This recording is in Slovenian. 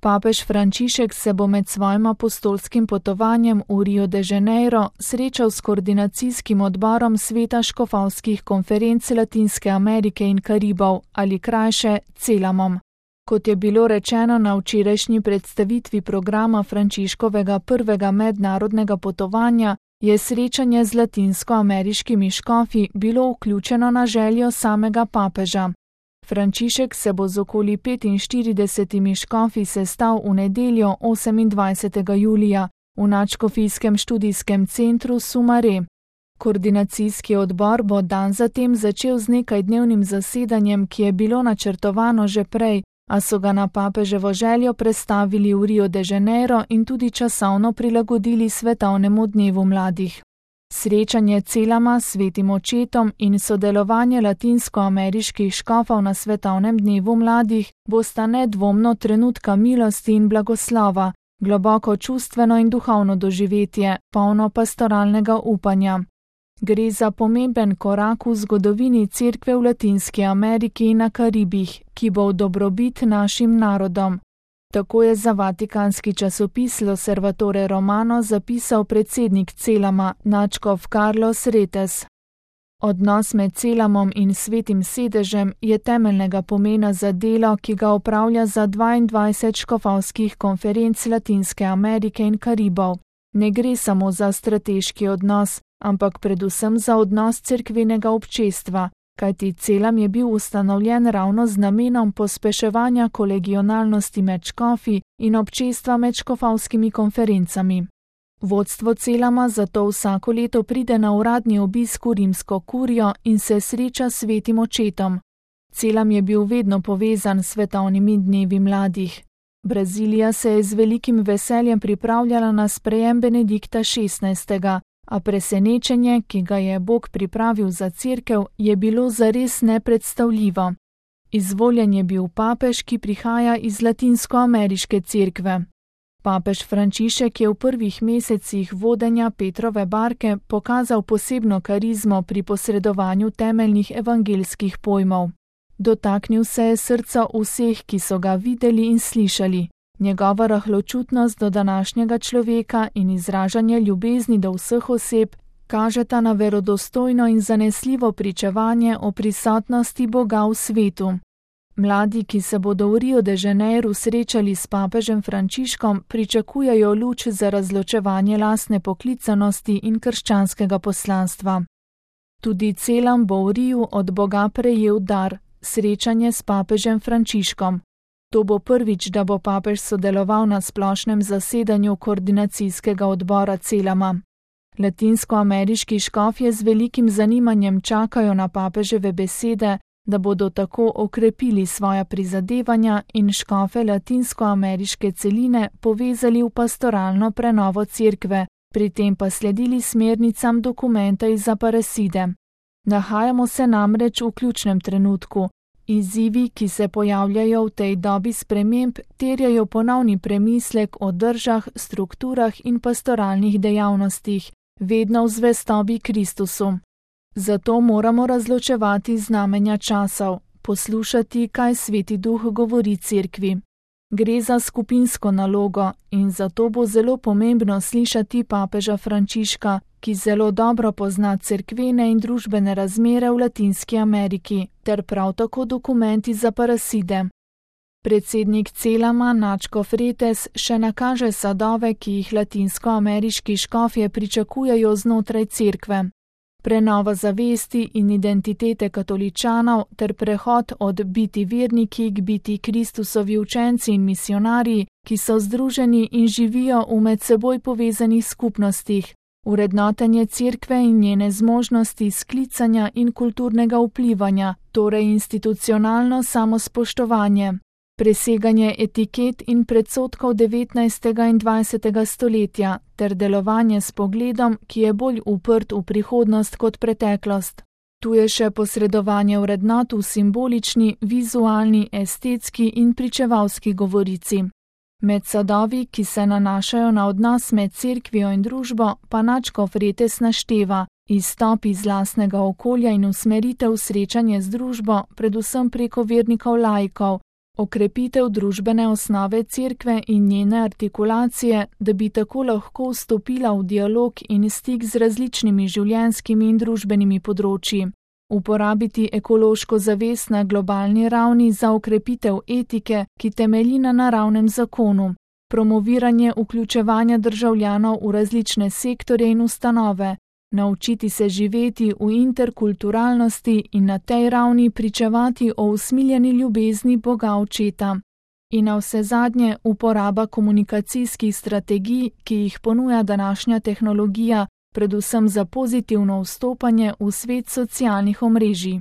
Papež Frančišek se bo med svojim apostolskim potovanjem v Rio de Janeiro srečal s koordinacijskim odborom Sveta škofovskih konferenc Latinske Amerike in Karibov, ali krajše CELAM-om. Kot je bilo rečeno na včerajšnji predstavitvi programa Frančiškovega prvega mednarodnega potovanja, je srečanje z latinskoameriškimi škofi bilo vključeno na željo samega papeža. Frančišek se bo z okoli 45 škofi sestal v nedeljo 28. julija v nadškofijskem študijskem centru Sumare. Koordinacijski odbor bo dan zatem začel z nekajdnevnim zasedanjem, ki je bilo načrtovano že prej, a so ga na papeževo željo prestavili v Rio de Janeiro in tudi časovno prilagodili svetovnemu dnevu mladih. Srečanje CELAM-a s Svetim očetom in sodelovanje latinskoameriških škofov na svetovnem dnevu mladih bosta nedvomno trenutka milosti in blagoslova, globoko čustveno in duhovno doživetje, polno pastoralnega upanja. Gre za pomemben korak v zgodovini Cerkve v Latinski Ameriki in na Karibih, ki bo v dobrobit našim narodom. Tako je za vatikanski časopis L'Osservatore Romano zapisal predsednik CELAM-a, nadškof Carlos Retes. Odnos med CELAM-om in Svetim sedežem je temeljnega pomena za delo, ki ga opravlja za 22 škofovskih konferenc Latinske Amerike in Karibov. Ne gre samo za strateški odnos, ampak predvsem za odnos cerkvenega občestva, kajti CELAM je bil ustanovljen ravno z namenom pospeševanja kolegionalnosti med škofi in občestva med škofovskimi konferencami. Vodstvo CELAM-a zato vsako leto pride na uradni obisk v rimsko kurijo in se sreča s Svetim očetom. CELAM je bil vedno povezan s svetovnimi dnevi mladih. Brazilija se je z velikim veseljem pripravljala na sprejem Benedikta XVI., a presenečenje, ki ga je Bog pripravil za cerkev, je bilo zares nepredstavljivo. Izvoljen je bil papež, ki prihaja iz latinskoameriške cerkve. Papež Frančišek je v prvih mesecih vodenja Petrove barke pokazal posebno karizmo pri posredovanju temeljnih evangeljskih pojmov. Dotaknil se je srca vseh, ki so ga videli in slišali. Njegova rahločutnost do današnjega človeka in izražanje ljubezni do vseh oseb kažeta na verodostojno in zanesljivo pričevanje o prisotnosti Boga v svetu. Mladi, ki se bodo v Rio de Janeiro srečali s papežem Frančiškom, pričakujejo luč za razločevanje lastne poklicanosti in krščanskega poslanstva. Tudi CELAM bo v Riu od Boga prejel dar, srečanje s papežem Frančiškom. To bo prvič, da bo papež sodeloval na splošnem zasedanju koordinacijskega odbora CELAM-a. Latinskoameriški škofje z velikim zanimanjem čakajo na papeževe besede, da bodo tako okrepili svoja prizadevanja in škofe latinskoameriške celine povezali v pastoralno prenovo cerkve, pri tem pa sledili smernicam dokumenta iz Aparecide. Nahajamo se namreč v ključnem trenutku. Izzivi, ki se pojavljajo v tej dobi sprememb, terjajo ponovni premislek o držah, strukturah in pastoralnih dejavnostih, vedno v zvestobi Kristusu. Zato moramo razločevati znamenja časov, poslušati, kaj Sveti Duh govori cerkvi. Gre za skupinsko nalogo in zato bo zelo pomembno slišati papeža Frančiška, ki zelo dobro pozna cerkvene in družbene razmere v Latinski Ameriki, ter prav tako dokumenti za Aparecide. Predsednik CELAM-a nadškof Retes še nakaže sadove, ki jih latinskoameriški škofje pričakujejo znotraj cerkve. Prenova zavesti in identitete katoličanov ter prehod od biti verniki k biti Kristusovi učenci in misionarji, ki so združeni in živijo v med seboj povezanih skupnostih, vrednotenje cerkve in njene zmožnosti sklicanja in kulturnega vplivanja, torej institucionalno samospoštovanje, preseganje etiket in predsodkov 19. in 20. stoletja ter delovanje s pogledom, ki je bolj uprt v prihodnost kot preteklost. Tu je še posredovanje vrednot v simbolični, vizualni, estetski in pričevalski govorici. Med sadovi, ki se nanašajo na odnos med cerkvijo in družbo, pa nadškof Retes našteva izstop iz lastnega okolja in usmeritev srečanje z družbo, predvsem preko vernikov laikov, Okrepitev družbene osnove cerkve in njene artikulacije, da bi tako lahko vstopila v dialog in stik z različnimi življenjskimi in družbenimi področji. Uporabiti ekološko zavest na globalni ravni za okrepitev etike, ki temelji na naravnem zakonu. Promoviranje vključevanja državljanov v različne sektorje in ustanove. Naučiti se živeti v interkulturalnosti in na tej ravni pričevati o usmiljeni ljubezni Boga Očeta. In navsezadnje uporaba komunikacijskih strategij, ki jih ponuja današnja tehnologija, predvsem za pozitivno vstopanje v svet socialnih omrežij.